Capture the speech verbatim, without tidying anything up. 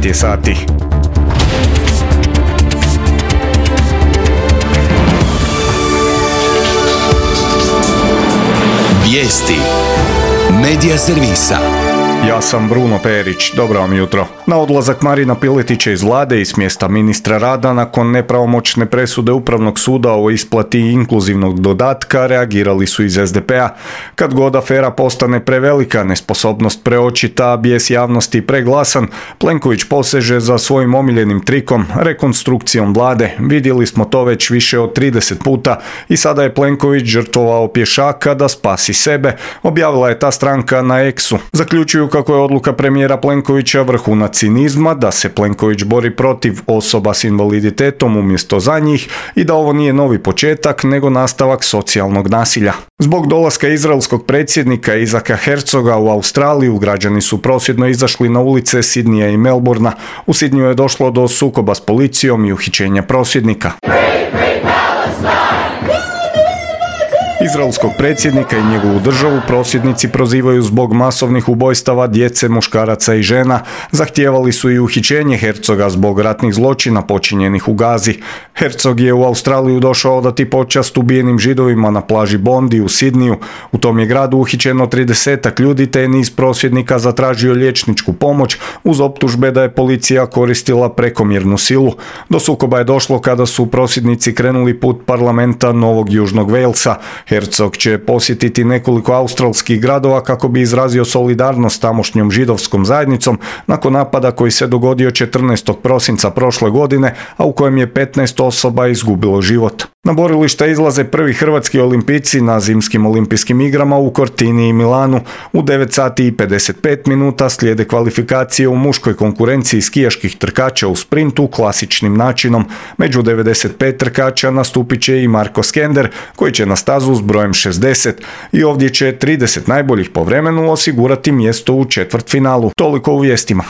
devet je sati. Vijesti Medija servisa. Ja sam Bruno Perić, dobro vam jutro. Na odlazak Marina Piletića iz vlade i s mjesta ministra rada nakon nepravomoćne presude Upravnog suda o isplati inkluzivnog dodatka reagirali su iz es de pe a. Kad god afera postane prevelika, nesposobnost preočita, bijes javnosti preglasan, Plenković poseže za svojim omiljenim trikom, rekonstrukcijom vlade. Vidjeli smo to već više od trideset puta i sada je Plenković žrtvovao pješaka da spasi sebe, objavila je ta stranka na X-u. Zaključuju kako je odluka premijera Plenkovića vrhunac cinizma, da se Plenković bori protiv osoba s invaliditetom umjesto za njih i da ovo nije novi početak, nego nastavak socijalnog nasilja. Zbog dolaska izraelskog predsjednika Isaaca Herzoga u Australiju, građani su prosvjedno izašli na ulice Sidnija i Melbourna. U Sidniju je došlo do sukoba s policijom i uhićenja prosvjednika. Izraelskog predsjednika i njegovu državu prosvjednici prozivaju zbog masovnih ubojstava djece, muškaraca i žena. Zahtijevali su i uhićenje Herzoga zbog ratnih zločina počinjenih u Gazi. Herzog je u Australiju došao odati počast ubijenim Židovima na plaži Bondi u Sidniju. U tom je gradu uhićeno tridesetak ljudi te je niz prosvjednika zatražio liječničku pomoć uz optužbe da je policija koristila prekomjernu silu. Do sukoba je došlo kada su prosvjednici krenuli put parlamenta Novog Južnog Walesa. Herzog će posjetiti nekoliko australskih gradova kako bi izrazio solidarnost s tamošnjom židovskom zajednicom nakon napada koji se dogodio četrnaestog prosinca prošle godine, a u kojem je petnaest osoba izgubilo život. Na borilišta izlaze prvi hrvatski olimpijci na zimskim olimpijskim igrama u Cortini i Milanu. U devet sati i pedeset pet minuta slijede kvalifikacije u muškoj konkurenciji skijaških trkača u sprintu klasičnim načinom. Među devedeset pet trkača nastupit će i Marko Skender, koji će na stazu s brojem šezdeset i ovdje će trideset najboljih po vremenu osigurati mjesto u četvrtfinalu. Toliko u vijestima.